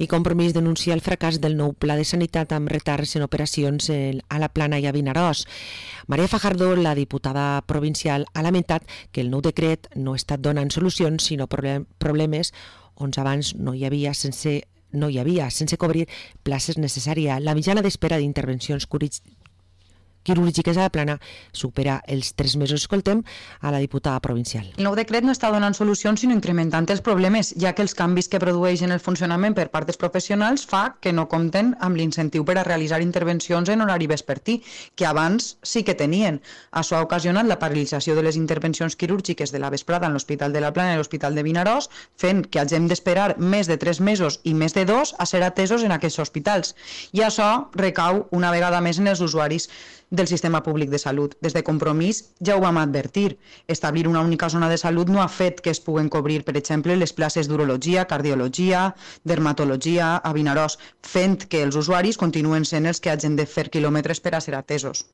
I Compromís denuncia el fracàs del nou pla de sanitat amb retards en operacions a la Plana i a Vinaròs. Maria Fajardo, la diputada provincial, ha lamentat que el nou decret no ha estat donant solucions, sinó problemes on abans no hi havia sense cobrir places necessàries. La mitjana d'espera d'intervencions quirúrgiques a la Plana supera els 3 mesos. Escoltem a la diputada provincial. El nou decret no està donant solucions sinó incrementant els problemes, ja que els canvis que produeix en el funcionament per part dels professionals fa que no compten amb l'incentiu per a realitzar intervencions en horari vespertí, que abans sí que tenien. Això ha ocasionat la paralització de les intervencions quirúrgiques de la vesprada en l'Hospital de la Plana i l'Hospital de Vinaròs, fent que hagin d'esperar més de 3 mesos i més de 2 a ser atesos en aquests hospitals. I això recau una vegada més en els usuaris del sistema públic de salut. Des de Compromís ja ho vam advertir. Establir una única zona de salut no ha fet que es puguen cobrir, per exemple, les places d'urologia, cardiologia, dermatologia a Vinaròs, fent que els usuaris continuen sent els que hagin de fer quilòmetres per a ser atesos.